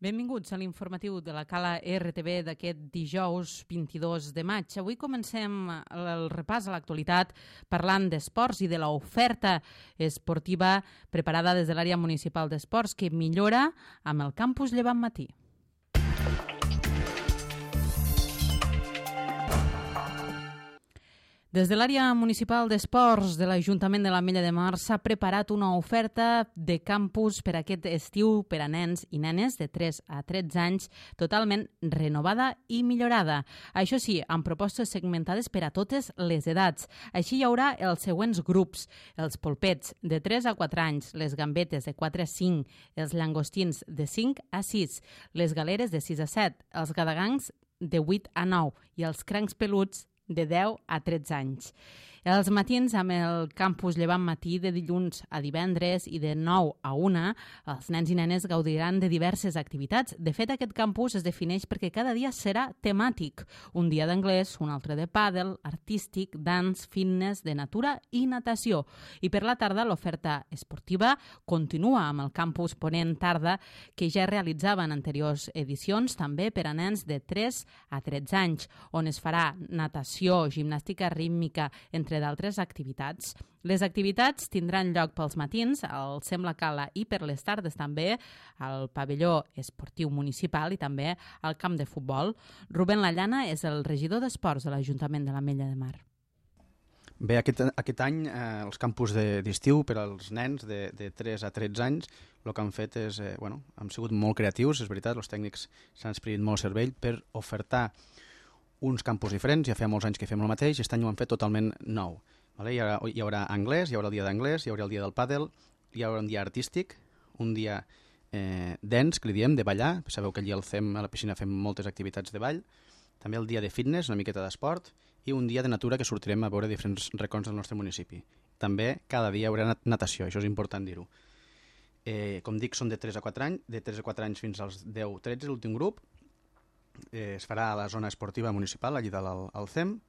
Benvinguts a l'informatiu de la Cala RTV d'aquest dijous 22 de maig. Avui comencem el repàs a l'actualitat parlant d'esports i de l'oferta esportiva preparada des de l'àrea municipal d'esports que millora amb el campus Llevant Matí. Des de l'àrea municipal d'esports de l'Ajuntament de l'Ametlla de Mar s'ha preparat una oferta de campus per aquest estiu per a nens i nenes de 3 a 13 anys totalment renovada i millorada. Això sí, amb propostes segmentades per a totes les edats. Així hi haurà els següents grups: els polpets de 3 a 4 anys, les gambetes de 4 a 5, els llangostins de 5 a 6, les galeres de 6 a 7, els gadagangs de 8 a 9 i els crancs peluts de 10 a 13 anys. Els matins amb el campus Llevant Matí de dilluns a divendres i de 9 a 1, els nens i nenes gaudiran de diverses activitats. De fet, aquest campus es defineix perquè cada dia serà temàtic. Un dia d'anglès, un altre de pàdel, artístic, dance, fitness, de natura i natació. I per la tarda l'oferta esportiva continua amb el campus Ponent Tarda, que ja realitzava en anteriors edicions, també per a nens de 3 a 13 anys, on es farà natació, gimnàstica rítmica, entre d'altres activitats. Les activitats tindran lloc pels matins al Sem la Cala i per les tardes també al pavelló esportiu municipal i també al camp de futbol. Rubén Lallana és el regidor d'Esports de l'Ajuntament de l'Ametlla de Mar. Bé, aquest any els campus d'estiu per als nens de 3 a 13 anys el que han fet és, han sigut molt creatius, és veritat, els tècnics s'han experit molt cervell per ofertar uns campus diferents. Ja feia molts anys que fem el mateix, aquest any ho han fet totalment nou. Vale? Hi haurà anglès, hi haurà el dia d'anglès, hi haurà el dia del pàdel, hi haurà un dia artístic, un dia dance, que li diem, de ballar. Sabeu que allí al CEM, a la piscina, fem moltes activitats de ball. També el dia de fitness, una miqueta d'esport, i un dia de natura que sortirem a veure diferents racons del nostre municipi. També cada dia hi haurà natació, això és important dir-ho. Com dic, són de 3 a 4 anys, de 3 a 4 anys fins als 10-13, l'últim grup. Es farà a la zona esportiva municipal, allí dalt al CEM.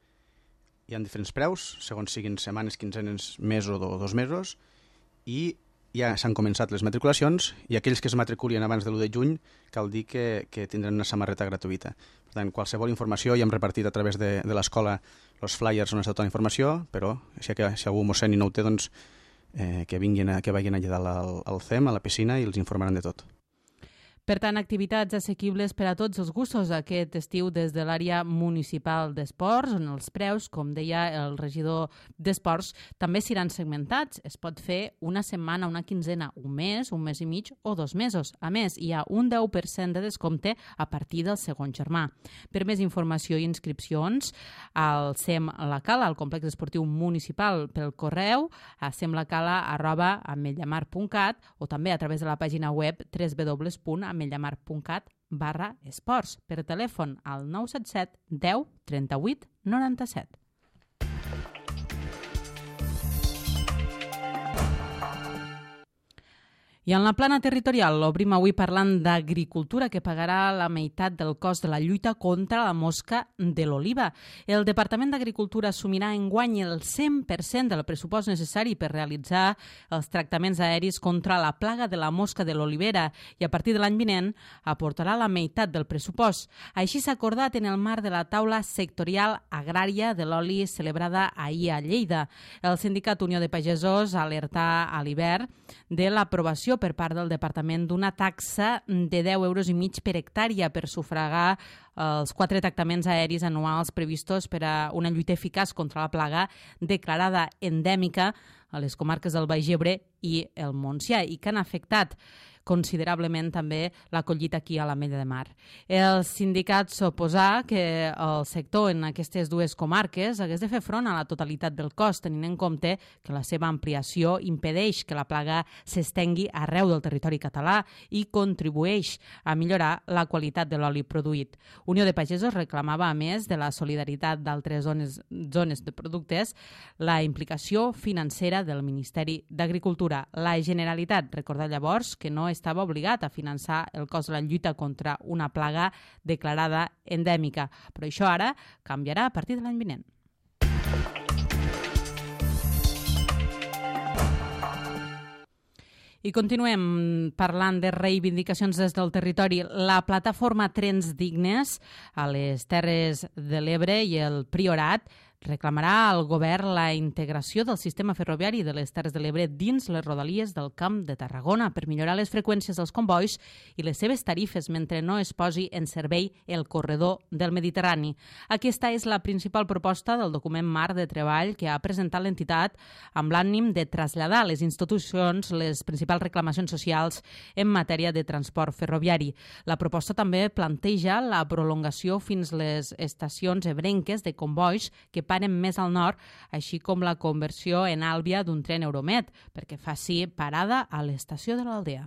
Hi ha diferents preus, segons siguin setmanes, quinzenes, mesos o 2 mesos, i ja s'han començat les matriculacions, i aquells que es matriculin abans de l'1 de juny cal dir que tindran una samarreta gratuïta. Per tant, qualsevol informació ja hem repartit a través de l'escola els flyers on està tota la informació, però si algú mos sent i no ho té, doncs que vagin allà dalt al CEM, a la piscina, i els informaran de tot. Per tant, activitats assequibles per a tots els gustos aquest estiu des de l'àrea municipal d'esports, on els preus, com deia el regidor d'esports, també seran segmentats. Es pot fer una setmana, una quinzena, un mes i mig o 2 mesos. A més, hi ha un 10% de descompte a partir del segon germà. Per més informació i inscripcions, al SEM La Cala, al complex esportiu municipal, pel correu a semlacala@ametllamar.cat o també a través de la pàgina web www.ametllamar.cat/esports, per telèfon al 977 10 38 97. I en la plana territorial obrim avui parlant d'agricultura, que pagarà la meitat del cost de la lluita contra la mosca de l'oliva. El Departament d'Agricultura assumirà enguany el 100% del pressupost necessari per realitzar els tractaments aeris contra la plaga de la mosca de l'olivera i a partir de l'any vinent aportarà la meitat del pressupost. Així s'ha acordat en el marc de la taula sectorial agrària de l'oli celebrada ahir a Lleida. El sindicat Unió de Pagesos alertà a l'hivern de l'aprovació per part del Departament d'una taxa de 10,5 euros per hectàrea per sufragar els 4 tractaments aeris anuals previstos per a una lluita eficaç contra la plaga declarada endèmica a les comarques del Baix Ebre i el Montsià i que han afectat considerablement també la collita aquí a l'Ametlla de Mar. El sindicat s'oposà que el sector en aquestes dues comarques hagués de fer front a la totalitat del cost, tenint en compte que la seva ampliació impedeix que la plaga s'estengui arreu del territori català i contribueix a millorar la qualitat de l'oli produït. Unió de Pagesos reclamava, a més de la solidaritat d'altres zones de productes, la implicació financera del Ministeri d'Agricultura. La Generalitat recordà llavors que no estava obligat a finançar el cost de la lluita contra una plaga declarada endèmica, però això ara canviarà a partir de l'any vinent. I continuem parlant de reivindicacions des del territori. La plataforma Trens Dignes a les Terres de l'Ebre i el Priorat reclamarà al govern la integració del sistema ferroviari de les Terres de l'Ebre dins les rodalies del Camp de Tarragona per millorar les freqüències dels combois i les seves tarifes mentre no es posi en servei el corredor del Mediterrani. Aquesta és la principal proposta del document marc de treball que ha presentat l'entitat amb l'ànim de traslladar a les institucions les principals reclamacions socials en matèria de transport ferroviari. La proposta també planteja la prolongació fins les estacions ebrenques de combois que paren més al nord, així com la conversió en Àlvia d'un tren Euromed, perquè faci parada a l'estació de l'Aldea.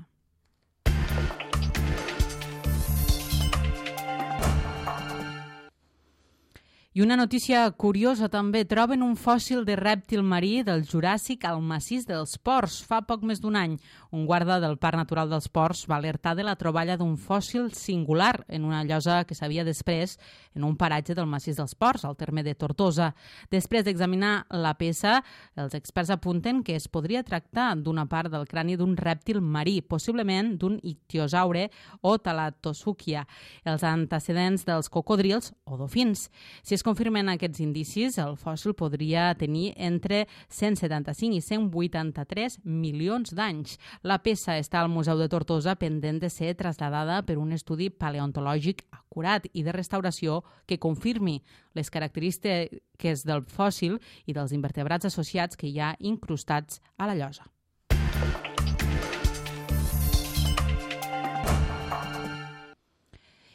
I una notícia curiosa també, troben un fòssil de rèptil marí del Juràssic al massís dels Ports fa poc més d'un any. Un guarda del Parc Natural dels Ports va alertar de la troballa d'un fòssil singular en una llosa que s'havia després en un paratge del massís dels Ports, al terme de Tortosa. Després d'examinar la peça, els experts apunten que es podria tractar d'una part del crani d'un rèptil marí, possiblement d'un ictiosaure o talatosúquia, els antecedents dels cocodrils o dofins. Si es confirmen aquests indicis, el fòssil podria tenir entre 175 i 183 milions d'anys. La peça està al Museu de Tortosa pendent de ser traslladada per un estudi paleontològic acurat i de restauració que confirmi les característiques del fòssil i dels invertebrats associats que hi ha incrustats a la llosa.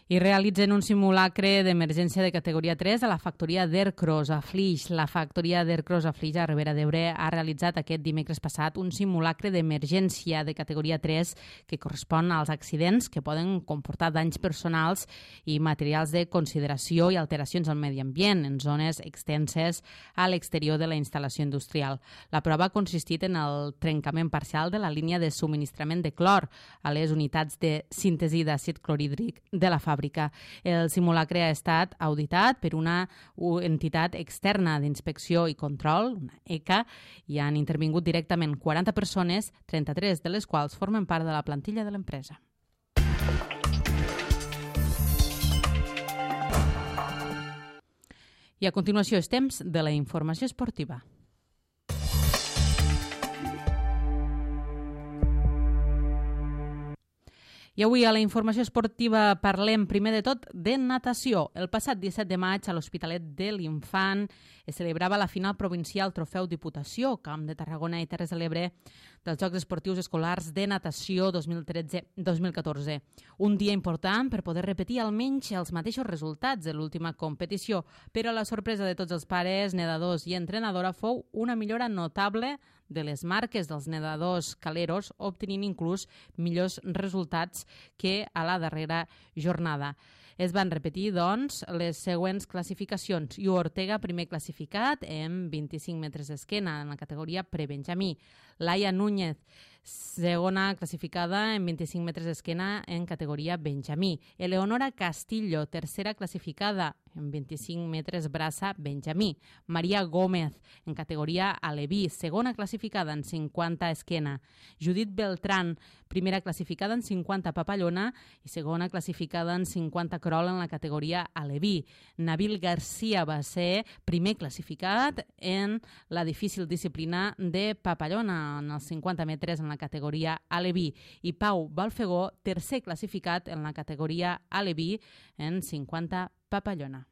I realitzen un simulacre d'emergència de categoria 3 a la factoria d'Ercros a Flix. La factoria d'Ercros a Flix, a Ribera d'Ebre, ha realitzat aquest dimecres passat un simulacre d'emergència de categoria 3 que correspon als accidents que poden comportar danys personals i materials de consideració i alteracions al medi ambient en zones extenses a l'exterior de la instal·lació industrial. La prova ha consistit en el trencament parcial de la línia de subministrament de clor a les unitats de síntesi d'àcid clorhídric de la fàbrica. El simulacre ha estat auditat per una entitat externa d'inspecció i control, una ECA, i han intervingut directament 40 persones, 33 de les quals formen part de la plantilla de l'empresa. I a continuació és temps de la informació esportiva. I avui a la informació esportiva parlem primer de tot de natació. El passat 17 de maig a l'Hospitalet de l'Infant es celebrava la final provincial Trofeu Diputació, Camp de Tarragona i Terres de l'Ebre dels Jocs Esportius Escolars de Natació 2013-2014. Un dia important per poder repetir almenys els mateixos resultats de l'última competició, però la sorpresa de tots els pares, nedadors i entrenadora fou una millora notable de les marques dels nedadors caleros, obtenint inclús millors resultats que a la darrera jornada. Es van repetir, doncs, les següents classificacions. Iu Ortega, primer classificat, en 25 metres d'esquena, en la categoria prebenjamí. Laia Núñez, segona classificada en 25 metres d'esquena en categoria benjamí. Eleonora Castillo, tercera classificada en 25 metres braça benjamí. Maria Gómez, en categoria aleví, segona classificada en 50 esquena. Judit Beltrán, primera classificada en 50 papallona i segona classificada en 50 crol en la categoria aleví. Nabil Garcia va ser primer classificat en la difícil disciplina de papallona, en els 50 metres en la categoria aleví. I Pau Balfegó, tercer classificat en la categoria aleví en 50 papallona.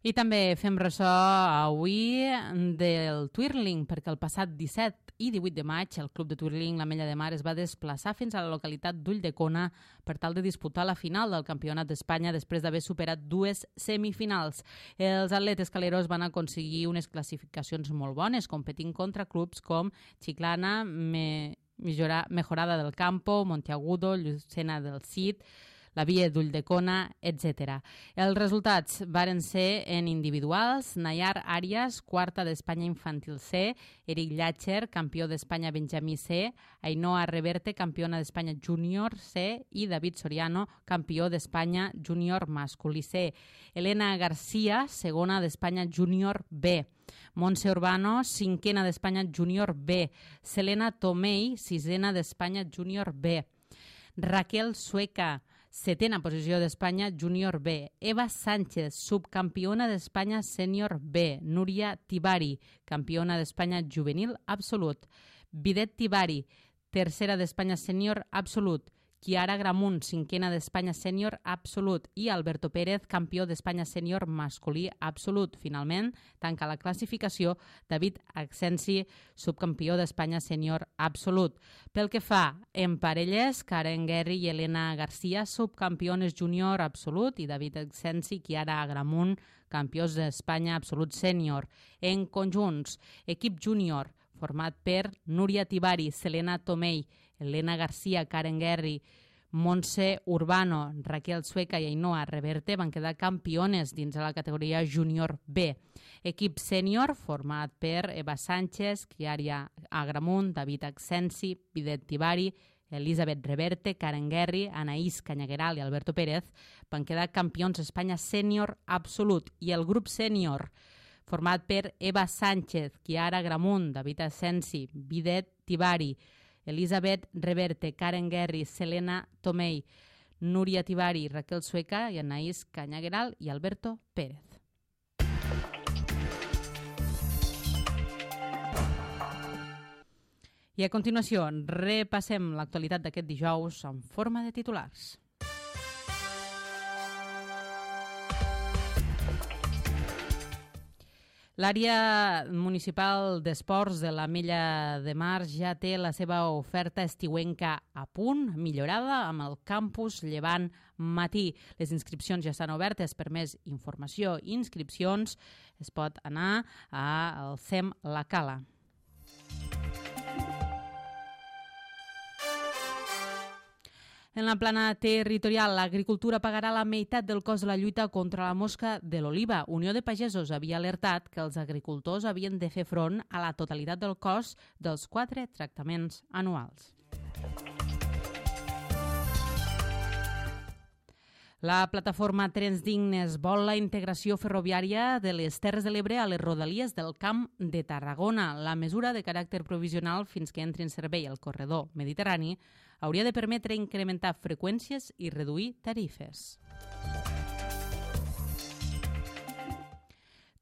I també fem ressò avui del twirling, perquè el passat 17 i 18 de maig el Club de Twirling l'Ametlla de Mar es va desplaçar fins a la localitat d'Ulldecona per tal de disputar la final del Campionat d'Espanya després d'haver superat dues semifinals. Els atletes caleros van aconseguir unes classificacions molt bones, competint contra clubs com Chiclana, Mejorada del Campo, Monteagudo, Llucena del Cid, la Via d'Ulldecona, etc. Els resultats varen ser en individuals: Nayar Arias, quarta d'Espanya infantil C, Eric Llàcher, campió d'Espanya Benjamí C, Ainhoa Reverte, campiona d'Espanya júnior C i David Soriano, campió d'Espanya júnior masculí C. Elena Garcia, segona d'Espanya júnior B. Montse Urbano, cinquena d'Espanya júnior B. Selena Tomei, sisena d'Espanya júnior B. Raquel Sueca, setena posició d'Espanya júnior B. Eva Sánchez, subcampiona d'Espanya sènior B. Núria Tibari, campiona d'Espanya juvenil absolut. Bidet Tibari, tercera d'Espanya sènior absolut. Chiara Gramunt, cinquena d'Espanya sènior absolut. I Alberto Pérez, campió d'Espanya sènior masculí absolut. Finalment, tanca la classificació David Acsensi, subcampió d'Espanya sènior absolut. Pel que fa en parelles, Karen Guerri i Elena Garcia, subcampiones júnior absolut, i David Acsensi i Chiara Gramunt, campions d'Espanya absolut sènior. En conjunts, equip júnior, format per Núria Tibari, Selena Tomei, Elena Garcia, Karen Guerri, Montse Urbano, Raquel Sueca i Ainhoa Reverte van quedar campiones dins de la categoria júnior B. Equip sènior format per Eva Sánchez, Chiara Agramunt, David Acsensi, Bidet Tibari, Elisabet Reverte, Karen Guerri, Anaïs Cañagueral i Alberto Pérez van quedar campions d'Espanya sènior absolut. I el grup sènior, format per Eva Sánchez, Chiara Gramunt, David Acsensi, Bidet Tibari, Elisabet Reverte, Karen Guerri, Selena Tomei, Núria Tibari, Raquel Sueca i Anaïs Cañagueral i Alberto Pérez. I a continuació repassem l'actualitat d'aquest dijous en forma de titulars. L'àrea municipal d'esports de l'Ametlla de Mar ja té la seva oferta estiuenca a punt, millorada, amb el campus Llevant Matí. Les inscripcions ja estan obertes. Per més informació i inscripcions es pot anar al CEM La Cala. En la plana territorial, l'agricultura pagarà la meitat del cost de la lluita contra la mosca de l'oliva. Unió de Pagesos havia alertat que els agricultors havien de fer front a la totalitat del cost dels 4 tractaments anuals. La plataforma Trens Dignes vol la integració ferroviària de les Terres de l'Ebre a les rodalies del Camp de Tarragona. La mesura, de caràcter provisional fins que entri en servei el corredor mediterrani, hauria de permetre incrementar freqüències i reduir tarifes.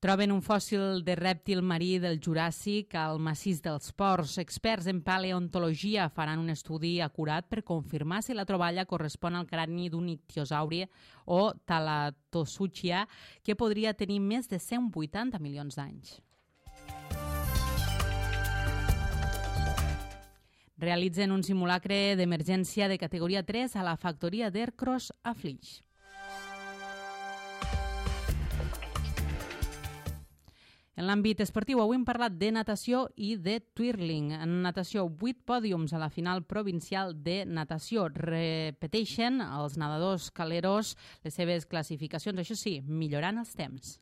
Troben un fòssil de rèptil marí del Juràssic al massís dels Ports. Experts en paleontologia faran un estudi acurat per confirmar si la troballa correspon al crani d'un ictiosauri o Thalatosauria, que podria tenir més de 180 milions d'anys. Realitzen un simulacre d'emergència de categoria 3 a la factoria d'Ercros a Flix. En l'àmbit esportiu, avui hem parlat de natació i de twirling. En natació, 8 pòdiums a la final provincial de natació. Repeteixen els nedadors caleros les seves classificacions, això sí, millorant els temps.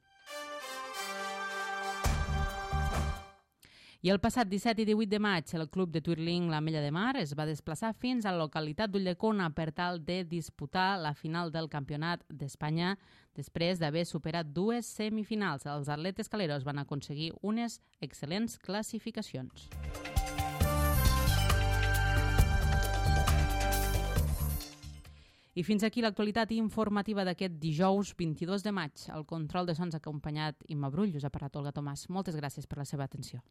I el passat 17 i 18 de maig, el club de twirling l'Ametlla de Mar es va desplaçar fins a la localitat d'Ulldecona per tal de disputar la final del Campionat d'Espanya després d'haver superat 2 semifinals. Els atletes caleros van aconseguir unes excel·lents classificacions. I fins aquí l'actualitat informativa d'aquest dijous 22 de maig. El control de sons acompanyat Imma Brull, us ha parlat Olga Tomàs. Moltes gràcies per la seva atenció.